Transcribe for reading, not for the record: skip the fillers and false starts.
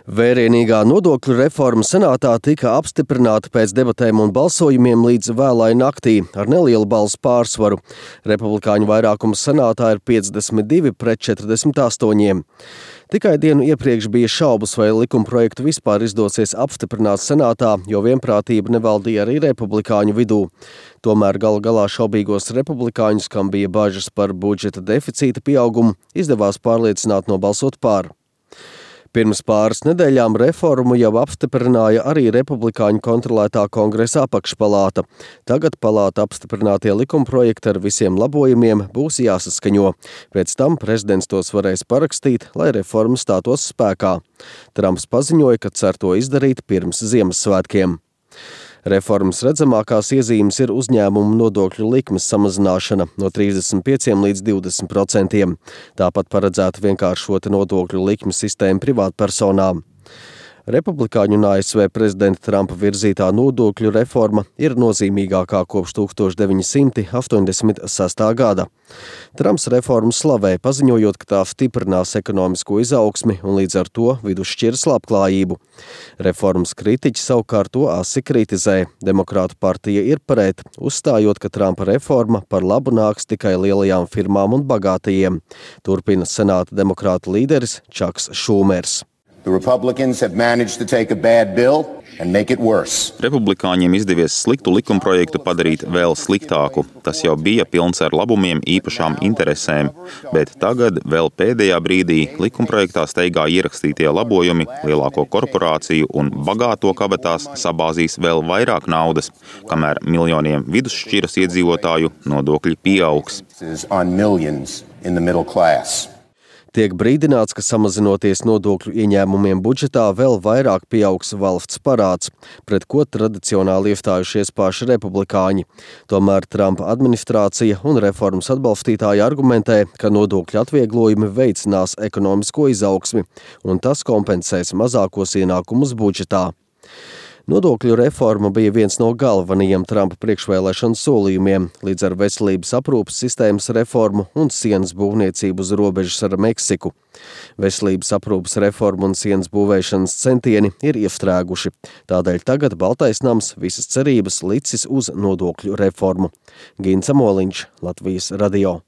Vērienīgā nodokļu reforma senātā tika apstiprināta pēc debatēm un balsojumiem līdz vēlai naktī ar nelielu balsu pārsvaru. Republikāņu vairākums senātā ir 52 pret 48. Tikai dienu iepriekš bija šaubas, vai likumprojektu vispār izdosies apstiprināt senātā, jo vienprātība nevaldīja arī republikāņu vidū. Tomēr galu galā šaubīgos republikāņus, kam bija bažas par budžeta deficīta pieaugumu, izdevās pārliecināt nobalsot pār. Pirms pāris nedēļām reformu jau apstiprināja arī republikāņu kontrolētā Kongresa apakšpalāta. Tagad palāta apstiprinātie likumprojekti ar visiem labojumiem būs jāsaskaņo. Pēc tam prezidents tos varēs parakstīt, lai reforma stātos spēkā. Trumps paziņoja, ka cer to izdarīt pirms Ziemassvētkiem. Reformas redzamākās iezīmes ir uzņēmumu nodokļu likmes samazināšana no 35 līdz 20%. Tāpat paredzēta vienkāršota nodokļu likmes sistēma privātpersonām. Republikāņu un ASV prezidenta Trumpa virzītā nodokļu reforma ir nozīmīgākā kopš 1986. gada. Trumps reformu slavē, paziņojot, ka tā stiprinās ekonomisko izaugsmi un līdz ar to vidusšķiras labklājību. Reformas kritiķi savukārt to asi kritizē. Demokrātu partija ir pret, uzstājot, ka Trumpa reforma par labu nāks tikai lielajām firmām un bagātajiem. Turpina senāta demokrātu līderis Čaks Šūmers. The Republicans have managed to take a bad bill and make it worse. Republikāņiem izdevies sliktu likumprojektu padarīt vēl sliktāku. Tas jau bija pilns ar labumiem īpašām interesēm, bet tagad vēl pēdējā brīdī likumprojektā steigā ierakstītie labojumi lielāko korporāciju un bagāto kabatās sabāzīs vēl vairāk naudas, kamēr miljoniem vidusšķiras iedzīvotāju nodokļi pieaugs. Tiek brīdināts, ka samazinoties nodokļu ieņēmumiem budžetā vēl vairāk pieaugs valsts parāds, pret ko tradicionāli iestājušies paši republikāņi. Tomēr Trumpa administrācija un reformas atbalstītāji argumentē, ka nodokļu atvieglojumi veicinās ekonomisko izaugsmi, un tas kompensēs mazākos ienākumus budžetā. Nodokļu reforma bija viens no galvenajiem Trumpa priekšvēlēšanu solījumiem, līdz ar veselības aprūpes sistēmas reformu un sienas būvniecību uz robežas ar Meksiku. Veselības aprūpes reforma un sienas būvēšanas centieni ir iestrēguši. Tādēļ tagad Baltais nams visas cerības licis uz nodokļu reformu. Gints Amoliņš, Latvijas radio.